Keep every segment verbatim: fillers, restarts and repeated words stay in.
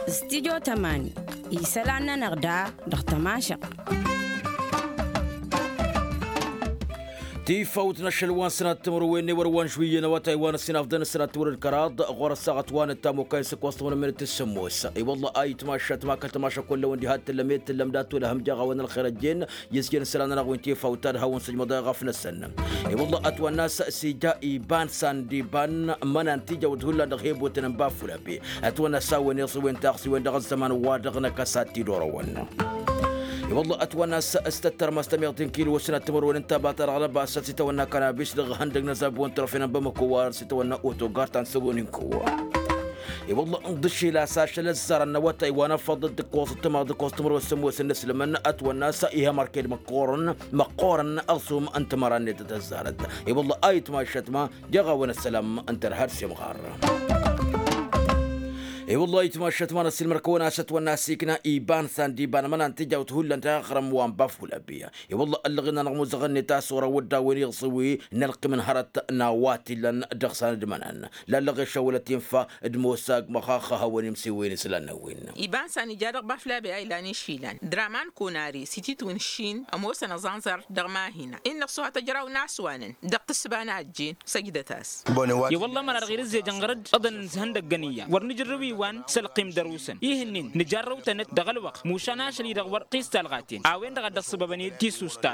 Studyo tămani isălan-nănăɣ da dăɣ-tămašăɣt. Tifawt n-ašăl wa n-sănat timǝrwen n-ewăr wa n-žuyyăn awătay wa n-ăsinafdăn n-sănat timǝrwen d-kăraḍ ɣur-ăssaɣăt wa n-ăttam okăy n-săkk wa s-tămănămmet d-sǝmmos. I-wălla ayǝtmašăt ma kăl-tămašăk wălla wăn diha t-tǝllăm i-t-tǝllăm dat-wăl ehăm jeɣ a-wen ălxer ăjjeen. Iyyăs jăn isălan-nănăɣ wi n-tifawt ad-hawăn-sǝjmăḍ eɣăf-năsăn. I-wălla ătwănna a-s sija iba n-sandiba n-imănan tijawt hullan dăɣ-hebotăn n-bafulabe. Ătwănna a-s a-wen iẓǝwen taɣsiwen dăɣ-ăzzăman-wa-dăɣ n-akăsat tidorăwăn. I-wălla ătwănna a-s s-tăttărmăs tămiḍt n-kilo s-năttămărwen n-tabata dăɣ-lăbas s-itawănna kanabis dăɣ-ihăndăg n-azabon tărăfen n-bamăko wa s-itawănna otogar ta n-săbon n-ko. I-wălla ǝnḍǝššel a-s ašăl ăzzarăn n-awătay wa n-afăḍ d-ǝkkoẓ d-tămaḍ d-ǝkkoẓ timǝrwen s-ămoosăn n-aslǝmăn ătwănna a-s iha mărked măqqoorăn măqqoorăn ălsum n-timăra-net tăzzarăt. I-wălla a itmašăt ma jeɣ-awăn ăssălam n-tărha d-semɣar. I-wălla a itmašăt ma n-ăssiilmăr-kăwăn a-s ătwănna a-s ikna iba n-sandiba n-imănan tijawt hullan taɣrăm wa n-bafulabi. I-wălla ăllăɣen-anăɣ muzăɣăn-net a-s wăr-awădda a-wen iẓǝwi n-ălqim n-hărăt n-a-wa t-illăn dăɣ-sanădmănan. Lallăɣ ešăwălăt infa d-mosag măxaxăhăwăn imsiwen islan n-a-wen. Iba n-san ija dăɣ-baflabe a ilan išilan draman kunari s-ititwǝn šin ămoosăn ăẓanẓar dăɣ-mahina innă ăṣṣuha tăjraw n-aswanăn dăɣ-tǝssǝba n-a ăjjeen. Săjdăt-as. I-wălla ămăra-dăɣ irǝzzejăn ɣăr-dd ăḍăn n-ihăndăggăn iyyăn wăr nǝjrǝw iwan s-ălqim dăr-usăn ihǝnnin nǝjarrăw-tăn-dd dăɣ-ălwăqq mušan ašăl-i-dăɣ wăr t-istalɣaten a-wen-dăɣ a dd-ăṣṣăbăbăn i-d tisus ta.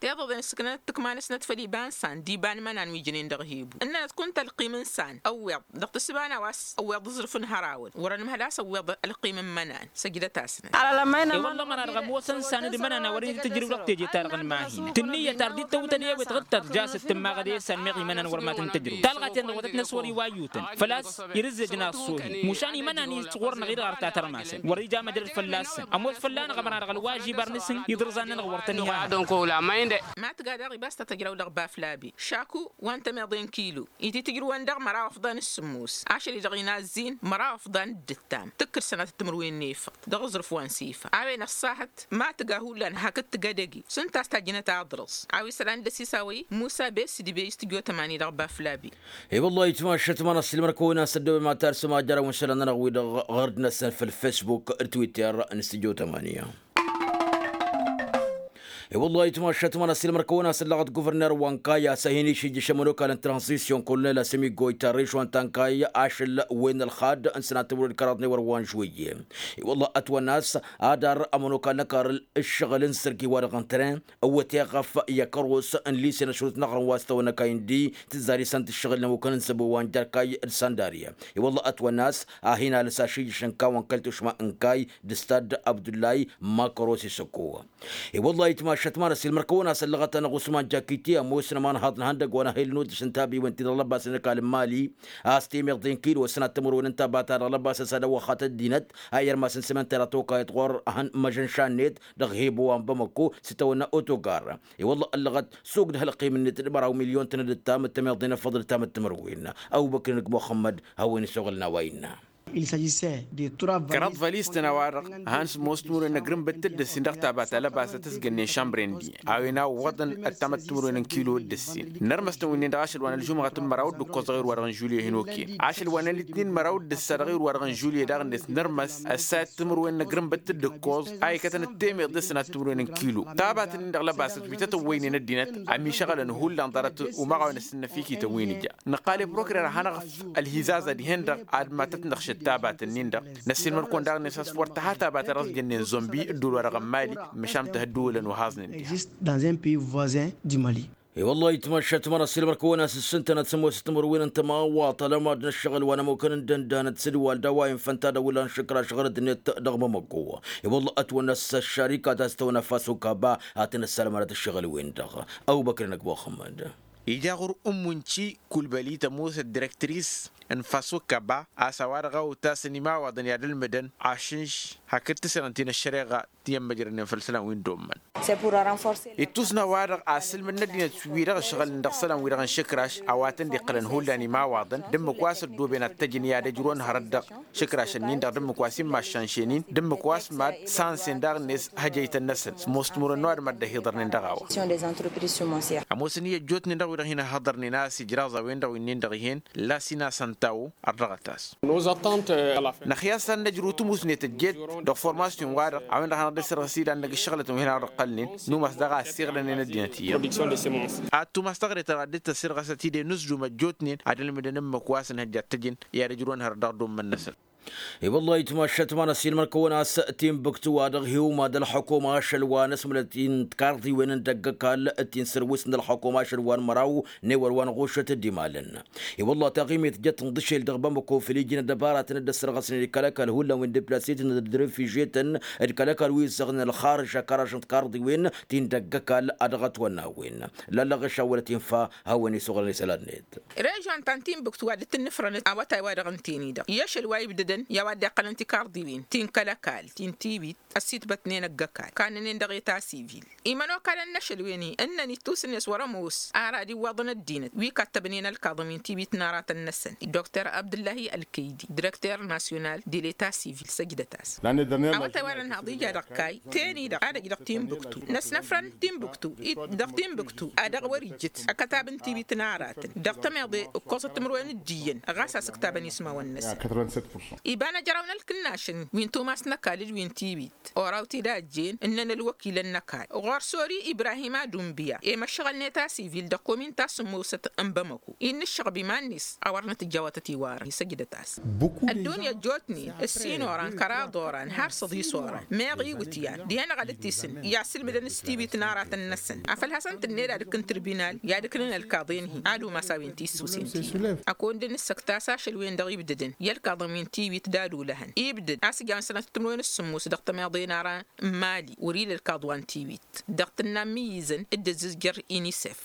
Tiḍăḍen ǝssǝknănăt tǝkma-năsnăt făll-iba n-san d-iba n-imănan wi jǝnen dăɣ-hibu ǝnnănăt kunta ălqim n-san ăwweḍ dăɣ-tǝssǝba n-a-wa s-ăwweḍ aẓrǝf n-hărăwăn wăr-ănmhăl a-s ăwweḍ ălqim n-imănan. Săjdăt-asnăt. I-wălla ămăra-dăɣ ămoosăn san d-imănan a wăren itǝjrǝw dăɣ-teje-ta-dăɣ n-imahin tǝnnǝyăt ar dd-tăwtăn i-awet ɣǝttat jaset tǝmmaɣăd i-san meɣ imănan wăr ma tăn-tǝjrǝw talɣaten-dăɣ wătăt-năs wăr-iwayyutăn făl-a-s irǝzzejăn aṣṣuhi mušan imănan-i s-ɣur-năɣ-i-dăɣ ar tatărmasăn wăr-ija măjrăd fălla-săn. Ămoos fălla-năɣ ămăra-dăɣ ălwažib ar nǝsǝn iḍrǝẓan-nănăɣ wăr tăn-iha. Ma tǝga daɣ ibas ta tăjraw dăɣ-baflabi šaku wa n-tămeḍe n-kilo ititǝjrǝwăn dăɣ-măraw ăfḍan s-sǝmmos ašăl-i-dăɣ inazzin măraw ăfḍan d-ǝttam tǝkkǝd sănatăt timǝrwen n-efăḍ dăɣ-aẓrǝf wa n-sifa a-wen ăṣṣahăt ma tǝga hullan hakd tǝgg edăgg-i s-ǝnta a-s tajjǝnăt aḍrǝẓ. A-wa isălan d-ăsisawăy musa besdǝbe istǝjotăm ani dăɣ-baflabi. I-wăllah itmašăt ma n-ăssiilmăr-kăwăn a-s ăddăwăy ma tarsǝm ajăraw n-isălan-nănăɣ-wi-dăɣ ɣărd-năsăn făll-fesbuk d-twitter n-istǝjotăm ani. I-wăllah itmašăt ma n-ăssiilmăr-kăwăn a-s ăllăɣăt guvărner wa n-kay a-s a hin-išijjǝš ămănokal n-tranzisyon kolonel asămiggoy tarriš wa n-tankay ašăl wen ălxad n-sănat timǝrwen d-kăraḍ n-ewăr wa n-žwǝyye. I-wăllah ătwănna a-s adar ămănokal n-ăkarăl ǝššăɣǝl n-sărgi wa dăɣ-n tren ăwwăt eɣăf i-akăros n-lise n-ašrut n-aɣrǝm wa s-tăwănăkay n-di tǝzzar isănt ǝššăɣǝl n-ămukăn n-săbo wa n-jerkay d-sandariya. I-wăllah ătwănna a-s a hin-alǝs ašijjǝš n-kawăn kăl-tušma n-kay d-stad abdullay makăros isăkko. I-wăllah itmašăt ma n-ăssiilmăr-kăwăn a-s ăllăɣăt-anăɣ usman jakiti ămoosăn ămanhaḍ n-ihăndăgg wa n-ahel n-udǝš n-tabiwen-ti-dăɣ lăbasăn ăkall n-mali a-s temeḍe n-kilo ăsnat timǝrwen n-tabata dăɣ-lăbasăn s-ad-ăwwăxat ăddinăt. Ayyăr masăn s-emăntăr atokayăt ɣur-ehăn măžănša-net dăɣ-hibu wa n-bamăko s-itawănna otogar. I-wălla ăllăɣăt s-ogdăh ălqim-net d-măraw milyon-tăn d-ǝttam d-temeḍe n-efăḍ d-ǝttam d-timǝrwen. Ăbubăkr n-ǝgg muxămmăd hawăn-isoɣălăn a-wa innă. Kăraḍ vălistăn a-wa-dăɣ han s-ămoos timǝrwen n-agrǝnbăt d-ǝssin dăɣ-tabata lăbasăt s-gănnen šambre n-di a-wen a ǝwwăḍăn ăttam d-timǝrwen n-kilo d-ǝssin. Nărmăs-tăn wi-nin-dăɣ ašăl wa n-ălžumăɣăt n-măraw d-ǝkkoẓ dăɣ-irwa dăɣ-n žulye hin-okăyăn ašăl wa n-ălǝtnin măraw d-ǝssa dăɣ-irwa dăɣ-n žulye daɣ-net nărmăs ăssayăt timǝrwen n-agrǝnbăt d-ǝkkoẓ a ikătăn d-temeḍe s-ănat timǝrwen n-kilo. Tabat-nin-dăɣ lăbasăt wi tătăwwăynen ăddinăt ămišăɣălăn hullan ḍarăt umaɣ a-wen ăssinăfikităn wi n-ija. Nǝqqal i-prokurer ad-hanăɣ-ăf ălhizaza dihen-dăɣ ad-matăt-năɣšăt tabat-nin-dăɣ. Năssiilmăd-kăwăn daɣ-net a-s wăr tăha tabat a dăɣ-s jănnen zombi d-ulwa dăɣ-ămmali. Măšan tǝhǝddǝwǝlăn wa haẓnen diha. Dans un pays voisin du mali. I-wăllah itmăššăt măra s-ilmăr-kăwăn a-s ǝssǝntănăt sămoosăt timǝrwen n-tămawaḍt ălămad n-ăššăɣǝl wa n-ămukăn n-dăndănăt s-dd-wal d-a-wa infănta d-awǝllan šǝkraš ɣărăt-net dăɣ-mămăko. I-wăllah ătwănna s-ăššarikat a-s tăwănna faso kaba a tăn-ăssalmănăt ǝššăɣǝl-wen-dăɣ. Ăbubăkr n-ăgg muxămmăd. Ija ɣur-ǝmmunči kulbăli tămoosăt direktris n-faso kaba a-s a-wa-dăɣ a otasăn imawaḍăn i-ad-ǝlmǝdăn ašǝnš hakd tǝsrăn ti n-ăššăreɣa. Iyyăn măjrănnen făll-isălan wi n-dd-ommăn. Ittusna-wa-dăɣ asǝlmǝd n-ăddinăt-wi-dăɣ ǝšɣǝlăn dăɣ-isălan-wi-dăɣ n-išǝkraš a-wa tăn-dd-iqqălăn hullan imawaḍăn d-ǝmmǝk wa s-ăddooben ad-t-ăjǝn i-ad-ăjrǝwăn hărăt dăɣ-išǝkrašăn-nin-dăɣ d-ǝmmǝk wa s-immaššanšen-in d-ǝmmǝk wa s-mad-sansen daɣ-net hăjăytăn-năsăn s-ămoos timǝrwen n-ăwadǝm ad-dd-ăhiḍărnen dăɣ-a-wa. Ămoosăn i-ăjjootnen dăɣ-wi-dăɣ hin-ăhhăḍărnen a-s ijraẓ a-wen-dăɣ wi-nin-dăɣ ih'-en lasina săntawo. Ărrăɣăt-as. Năxyas ad-năjrǝw tǝmusnet ăjjeet dăɣ-formasyon-wa-dăɣ a-wen-dăɣ hanăɣ-dd-ăssărɣǝs-dd ad-năj ǝššăɣlătăn wi hanăɣ-dd-ăqqălnen. Numas daɣ a ăssiɣlănen ăddinăt iyyăn. Ad-tumas taɣret-ta-dăɣ ad-dd-tăssirɣăsăt-dd i-inǝzzum ăjjootnen ad-ălmǝdăn ǝmmǝk wa s-ănhăjja ad-t-ăjǝn i-ad-ǝjrǝwăn hărăt dăɣ-dd-ommăn-năsăn. I-wăllah itmašat ma n-ăssiilmăr-kăwăn a-s timbǝktu-wa-dăɣ hi-umadd ălxukuma ašăl wa n-ăsmǝlăt-in tikarḍiwen n-dăgg-ăkall. Ti n-sărwǝs n-ălxukuma ašăl wa n-măraw n-ewăr wa n-ɣušăt d-imalăn. I-wăllah taɣimit jăt n-dăšel dăɣ-bamăko făll-iji n-ăddăbaratăn dd-ăssărɣăsnen d-kăl-ăkall hullan wi n-diplasităn d-refižetăn d-kăl-ăkall wi ǝzzăɣnen ălxarǝž akăraš n-tikarḍiwen ti n-dăgg-ăkall a dăɣ-ătwănnawin. Lallăɣ ešawălăt infa hawăn-isăɣrăn isălan-net. Režon ta n-timbǝktu a dd-tǝnnǝfrănăt awătay-wa-dăɣ ǝnta-en-i-dăɣ i-ašăl wa ibdădăn i-a-wa dd-iqqălăn tikarḍiwen ti n-kăl-ăkall ti n-tibit ăssitbătnen ăgg-ăkall kannănen dăɣ-eta sivil. Imănokalăn n-ašăl wen-i ǝnnăn ittus-net wăr-ămoos ara ad-iwwaḍăn ăddinăt wi kattăbnen ălkaḍăn wi n-tibit n-aratăn-năsăn. Dr abdǝllahi ălkăydi direkter nasyonal di leta sivil săjdăt-as. Awătay wa n-ănhaḍ ija dăɣ-kayy ten-i-dăɣ ad-ăj dăɣ-timbuktu năsnăfrăn timbuktu-i dăɣ-timbuktu a dăɣ-wăr-ijjǝt ăkătab n-tibit n-aratăn dăɣ-tămeḍe ǝkkoẓăt timǝrwen d-iyyăn ɣas a-s ǝktabăn ismawăn-năsăn. Iba n-ejăraw n-ălkǝnnašăn wi n-tumas n-ăkall d-wi n-tibit oraw-t-dd a ăjjeen ǝnnăn ălwăkilăn n-ăkall ɣur-sori ibrahim adumbiya i-măššăɣălnet asivil dăɣ-komin ta s-ămoosăt n-bamăko innă ǝššăɣăb iman-net a wăr nǝtǝjja a wa tăt-iwarăn isăjdăt-as. Ăddunya ăjjootnen ǝssin oran kăraḍ oran har săḍis oran meɣ iwǝtyan dihen-dăɣ ad-dd-tisǝn i-asǝlmǝdăn s-tibit n-aratăn-năsăn afăl hasăn-tǝnned ad-ǝkkǝn tǝrbinal i-ad-ǝknǝn ălkaḍen-hi ad-umas a-wen tissǝwsen ti-dăɣ. Ăkund n-ǝssăktas ašăl-wen-dăɣ ibdădăn i-ălkaḍăn wi n-tiwit d-ad-olăhăn ibdăd a-s ǝjăn sănăt timǝrwen s-sǝmmos dăɣ-tămeḍe n-ara n-mali wăr-ila ălkaḍ wa n-tiwit. Dăɣ-tǝnna n-imǝyyǝzăn dd-ăzzǝzjăr inisef.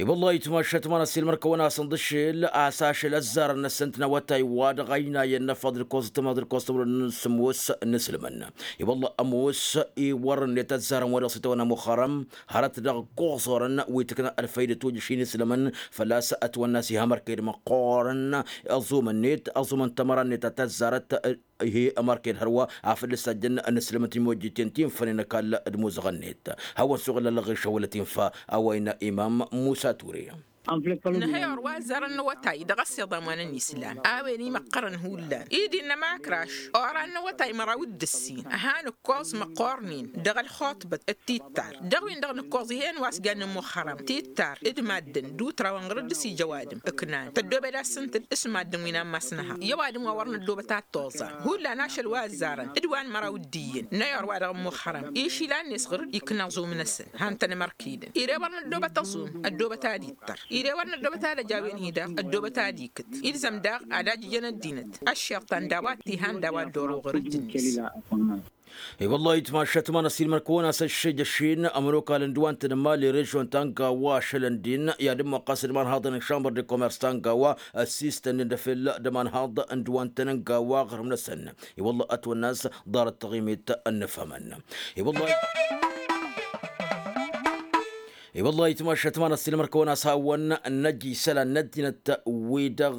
I-wălla-hi tmašat ma n-ăssiilmăr-kăwăn-asăn d-ašel a-s ašăl ăzzarăn-năsăn-t n-awătay wa dăɣ-ăynayăn n-afăḍ d-ǝkkoẓ d-tămaḍ d-ǝkkoẓ timǝrwen n-sǝmmos n-isǝlmăn. I-wălla ămoos iwărrăn-net ăzzarăn wa dăɣ-s itawănna muxărăm hărăt dăɣ-ǝkkoẓ orăn wi tǝkna ălfăydăt ojăš inisǝlmăn. Făl-a-s ătwănna a-s iha mărked măqqoorăn ăẓumăn-net ăẓumăn tămăra-net a tăzzarăt. Ih' ămărked hărwa afăl dd-sajjăn ănǝslămăt imojjiten ti n-fănen ăkall d-imuzăɣăn-net. Hawăn-suɣǝl ălɣišăwălăt infa a-wa innă imam musa ture. Nǝhăy orwa ăzzarăn n-awătay dăɣ-ăssiḍam wa n-ănislam a-wen imăqqărăn hullan i-dd-innă makraš oran n-awătay măraw d-ǝssin han ǝkkoẓ măqqornen dăɣ-ălxuṭbăt d-tittar dăɣ-win-dăɣ nǝkkoẓ ih'-en wa s-jannen muxărăm tittar d-maddǝn d-utrawăn ɣur-dd-s ija ăwadǝm ǝknan tăddobed-as s-ǝntǝl s-maddǝn wi n-ammas n-ehăḍ i-ăwadǝm wa wăr năddobăt ad-t-oẓan hullan ašăl wa ăzzarăn d-wa n-măraw d-iyyăn n-ayor-wa-dăɣ n-muxărăm išilan-net ɣur-dd ikna aẓum-năsăn han tăn-imărkidăn ire wăr năddobăt aẓum ăddobăt ad-ittăr ire wăr năddobăt ad-ăj a-wen-hi-dăɣ ăddobăt ad-ikǝt ilzăm daɣ ad-ajǝjăn ăddinăt ăššiḍtan d-a-wa t-ihan d-a-wa dd-oru ɣur-ǝjǝnnes. I-wăllah-hi tmašat ma n-ăssiilmăr-kăwăn-as ăššejăšin ămănokalăn d-wa n-tǝnǝmali režion ta n-gawa ašălăn din i-ad-ǝmmuqqas d-imanhaḍăn n-šambăr de komers ta n-gawa ăssistănnen d-afel d-ămanhaḍ n-d-wa n-tăn-n-gawa aɣrǝm-năsăn. I-wăllah ătwănna a-s ḍarăt taɣimit ănnăfhămăn. I-wăllah-hi i-wăllah-hi tmašat ma n-ăssiilmăr-kăwăn-as hawăn-năj isălan n-ăddinăt-wi-dăɣ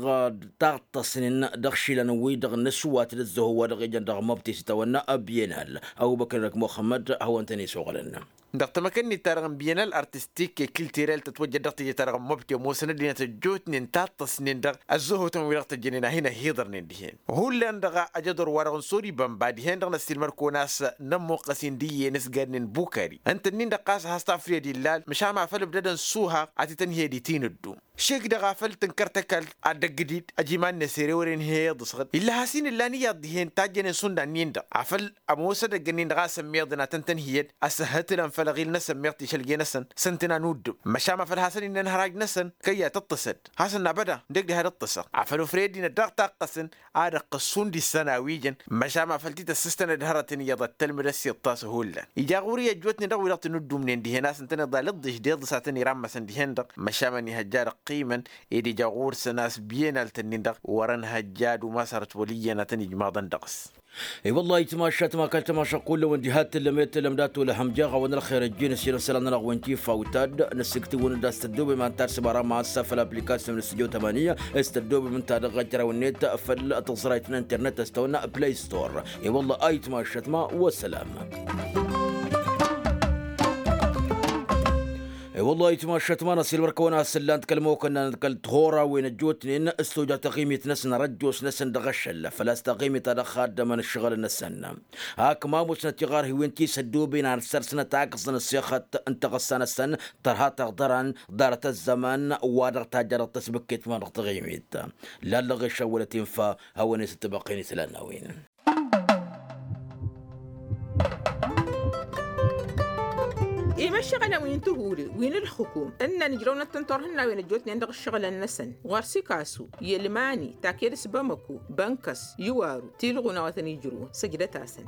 taɣtăsnen dăɣ-išilan-wi-dăɣ n-ăswat d-ăzzăho wa dăɣ-ijăn dăɣ-măbtis itawănna ăbyenal. Ăbubăkr d-muxămmăd hawăn-tăn-isuɣǝlăn. Dăɣ-tamăkănnit-ta-dăɣ n-byenal artistik i-kiltirel tătwăjjăd dăɣ-teje-ta-dăɣ n-măbti ămoosăn ăddinăt ăjjootnen taṭṭăsnen dăɣ-ăzzăhotăn-wi-dăɣ tăjjănen a hin-ăhhiḍărnen dihen. Hullan dăɣ-ajăḍor-wa-dăɣ n-sori bănba dihen-dăɣ n-ăssiilmăr-kăwăn a-s nămmuqqăs-in d-iyyăn s-gadnen bukari ǝnta-nin-dăɣ ɣas a has-tafriyăd illal măšan ma făl ǝbdădăn s-uhaɣ a t-tănhǝyăd i-tinǝddum šik-dăɣ afăl tǝnkăr tăkalt ad-dăgg-dd-ăj iman-net ere wăren hi-iḍǝsɣǝd illa has-in ǝllan iyyăḍ dihen tajjănen šund a-nin-dăɣ afăl ămoos edăgg-nin-dăɣ a-s ămmiḍăn ad-tăn-tănhǝyăd ăsǝhhǝtǝlăn făll-aɣil-năsăn meɣ tišălge-năsăn s-ǝntǝn a nuddǝm măšan ma făl hasăn-innăn hăraj-năsăn kăyy-a tăṭṭăsăd hasăn n-abăda dd-egdăh ad-ǝṭṭăsăɣ afăl ofre ăddinăt daɣ-taqqăsăn ad-ăqqǝs šund issăn a-wi jăn. Măšan ma făl t-tăssǝstănăd hărătăn iyyăḍ ad-tălmǝd ăssiḍt a-s hullan ija ɣur-i ăjjootnen dăɣ-wi-dăɣ tǝnǝddumnen dihen a-s ǝntăneḍ a lăḍḍeš d-iḍǝs a tăn-irammasăn dihen-dăɣ măšan ma n-ihăjja dăɣ-t. ăqqimăn ed ija ɣur-săn a-s biyănalt-nin-dăɣ wăr-ănhăjja ad-umas hărăt wăl' iyyăn ad-tăn-ijmaḍăn dăɣ-s. I-wălla ayǝtmašat ma kăl-tămašăqqul lăwăn diha t-tǝllăm i-tǝllăm dat-wăla hămjeɣ-awăn ălxer ăjjeen ăssinăsălan-nănăɣ-wen tifa witad. Năssiktǝwăn-dd a-s tăddoobem ănta ad-săbara ma ăssafăl application n-studio tămaniya s-tăddoobem ǝnta-dăɣ ăjraw-net făll-tǝẓrayt n-internet ăstăwăn play store. I-wălla ayǝtmašat ma wăssălam. I-wălla ayǝtmašat ma năsilmăr-kăwăn a-s ǝllan-t kăl-mokănna n-kăl-tihorawen ăjjootnen s-toja taɣimit-năsăn ărăjjoosnăsăn dăɣ-ašăl făl-a-s taɣimit ta dăɣ-xaddămăn ǝššăɣǝlăn-năsăn. Hakk ma musnăt iɣarhiwen ti s-ăddoben ad-săr-săn ad-t-akǝẓăn ăssexăt n-taɣǝssa-năsăn tărha taɣdăran ḍarăt ăzzăman wa dăɣ-tajjăr dăɣ-tăsbǝkket ma dăɣ-taɣimit. Lallăɣ išăwwălăt infa hawăn-e-s ăttăbăqqen isălan n-a-wen. Imăššăɣălăn wi n-tihuri wi n-ǝlxǝkum ǝnnăn ǝjrăwnăt-tăn turhǝnnawen ăjjootnen dăɣ-ǝššăɣǝlăn-năsăn ɣur-sikasu i-ălmani taked s-bamăku bănkăs iwaru tilɣun a-wa tăn-ijrǝwăn săjdăt-asăn.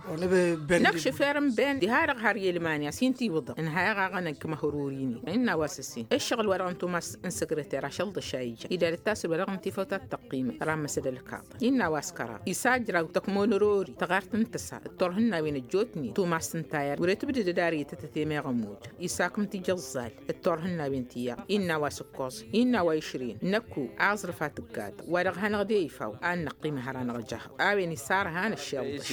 Năkšǝfer n-ben diha-dăɣ har i-ălmani a-s hin-t-iwǝḍăɣ ǝnhayăɣ aɣănăn kămăhrori-nin innă a-wa s-ǝssin ǝššăɣǝl-wa-dăɣ n-tumas n-săkrăter ašăl ḍăšayǝja idad-ǝttas ălwa dăɣ-n tifăwt ad-tăqqimăn ramăsăd ălkaḍ. Innă a-wa s-kăraḍ isajraw tăkmonărori tăɣart n-tǝsa d-turhǝnnawen ăjjootnen tumas n-tayăr wăr-e tǝbdǝdăd arăyătătăt i-meɣ ămuj isakǝm tijăẓẓal d-turhǝnnawen ti-iyyăḍ. Innă a-wa s-ǝkkoẓ innă a-wa išrǝyăn năkku aẓrǝf a tǝggatăɣ wa-dăɣ hanăɣ-de ifaw a n-năqqim hăr-anăɣ-jăhăɣ. A-wen isarhan ăššeḍ dăɣ-s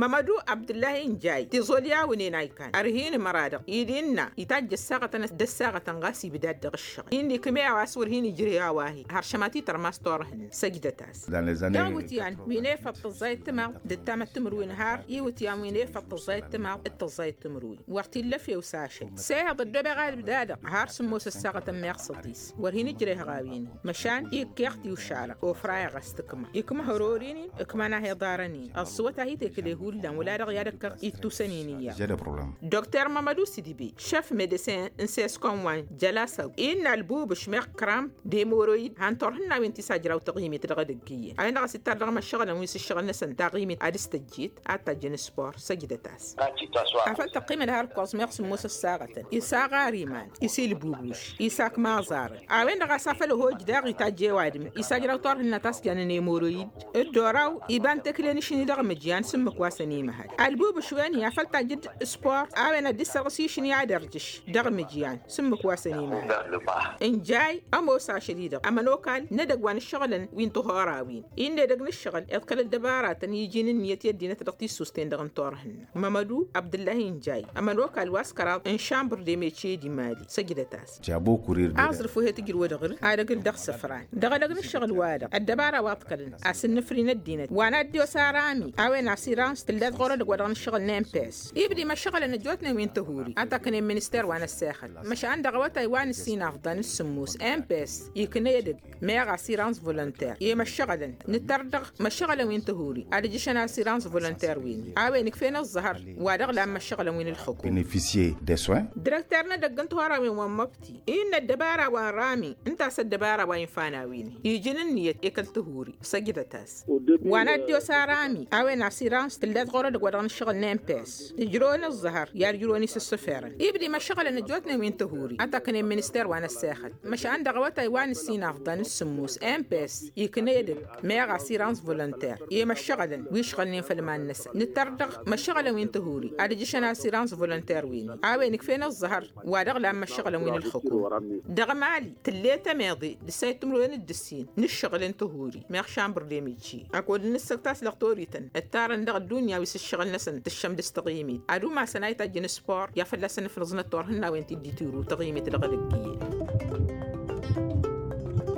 mămădu abdǝllahi n-jay tiẓol i-awǝnen a ikall ărhin măra-dăɣ id-innă itajj ăssaɣătăn d-ăssaɣătăn ɣas ibdad dăɣ-ǝššăɣǝl inn'-i kǝmeɣ a-s wăr hin-ijrǝy a-wa-hi har šămati tărmas turhǝnna. Săjdăt-as dăɣ-iwǝtyan wi n-efăḍ tăẓẓayăt timaḍ d-ǝttamăt timǝrwen har iwǝtyan wi n-efăḍ tăẓẓayăt timaḍ d-tăẓẓayăt timǝrwen wăr t-illa efew s-ašăl. Săyăḍ ăddobeɣ ad-ǝbdadăɣ har sǝmmos ăssaɣătăn meɣ săḍis wăr hin-ǝjrehăɣ a-wen-in măšan ikkeɣ tiwšalăɣ ofrayăɣ a-s tǝkma ikma hărori-nin ǝkman a he-iḍarăn-in ăṣṣuwăt a hi-tekǝle hullan wăla dăɣ-i ad-ăkkăɣ ittusăn-in iyyăḍ. Dr mămădu s-idǝbe šăf medesin n-seskonwan jălasaw innă ălbubǝš meɣ kram d-emoroyid han turhǝnnawen ti s-ajraw taɣimit dăɣ-edăgg iyyăn a-wen-dăɣ a-s ittar dăɣ-imăššăɣǝlăn wi s-ǝššăɣǝl-năsăn taɣimit ad-dăɣ-s tăjjet ad-tajjăn s-pur săjdăt-as. Afăl tăqqimăd har ǝkkoẓ meɣ sǝmmos ăssaɣătăn isaɣar iman isilbubuš isak maẓarăn a-wen-dăɣ a-s afăl ăhoj daɣ itajj i-ăwadǝm isajraw turhǝnna ta s-jannen emoroyid d-oraw iba n-tekle n-ašni dăɣ-imǝjyan s-ǝmmǝk wa săn imăhăl. Ălbubuš wen-i afăl tajjǝd s-pur a-wen ad-dd-sărɣǝs išni ad-ărjǝš dăɣ-imǝjyan s-ǝmmǝk wa săn imăhăl. N-jay ămoos ašăl-i-dăɣ ămănokal n-edăgg wa n-ǝššăɣǝlăn wi n-tihorawin-i n-edăgg n-ǝššăɣǝl iḍkăl ăddăbaratăn iji n-ǝnniyăt i-ăddinăt dăɣ-tissust-en-dăɣ n-turhǝnna. Mămădu abdǝllahi n-jay ămănokal wa s-kăraḍ n-šambăr d-emece d-imali săjdăt-as. Aẓrǝf wi he-tǝjrǝwă dăɣ-ǝl ad-ăgg-ǝl dăɣ-isǝfran dăɣ-edăgg n-ǝššăɣǝl-wa-dăɣ ăddăbara wa ǝḍkălăn a-s ǝnnǝfri n-ăddinăt wa n-ad-dd-iwăs arami a-wen asirans tǝlled ɣur-edăgg wa dăɣ-nǝššăɣǝl n-emps. Ibda imăššăɣǝlăn ăjjootnen wi n-tihuri ad-t-ăknen minister wa n-ăssexăt măšan dăɣ-awătay wa n-ǝssin afḍăn d-sǝmmos emps ikna edăgg meɣ asirans volonter i-imăššăɣǝlăn nǝttăr dăɣ-imăššăɣǝlăn wi n-tihuri ad-ǝjjǝšăn asirans volonter-win a-wen ǝkfen ǝẓẓăhăr wa dăɣ-lan imăššăɣǝlăn wi n-ǝlxǝkum. Direkter n-edăgg n-tihorawen wa n-măbti innă ăddăbara wa n-rami ǝnta a-s ăddăbara wa infa n-a-wen iji n-ǝnniyăt i-kăl-tihuri săjdăt-as. Wa n-ad-dd-iwăs arami a-wen asirans tǝllet ɣur-edăgg wa dăɣ-nǝššăɣǝl n-emps ǝjrăwăn ǝẓẓăhăr i-ad-ǝjrăwăn isǝssǝferăn ibda imăššăɣǝlăn ăjjootnen wi n-tihuri ad-t-ăknen minister wa n-ăssexăt. Măšan dăɣ-awătay wa n-ǝssin afḍăn d-sǝmmos emps ikna edăgg meɣ asirans volonter i-imăššăɣǝlăn wi ǝšɣălnen făll-iman-năsăn nǝttăr dăɣ-imăššăɣǝlăn wi n-tihuri ad-ǝjjǝšăn asirans volonter-win-i a-wen ǝkfen ǝẓẓăhăr wa dăɣ-lan imăššăɣǝlăn wi n-ǝlxǝkum. Dăɣ-mali tǝllet ămeḍe d-ǝssayǝt timǝrwen d-ǝssin n-ǝššăɣǝl n-tihuri meɣ šambăr d-emeci. Ăkod n-ǝssăkt a-s lăɣ torităn ǝttarăn dăɣ-ăddunya wi s-ǝššăɣǝl-năsăn tǝššăm dăɣ-s taɣimit ad-umasăn a itajjăn s-pur i-ad-fălla-săn ǝfnǝẓnăt turhǝnnawen ti dd-itiru taɣimit dăɣ-edăgg iyyăn.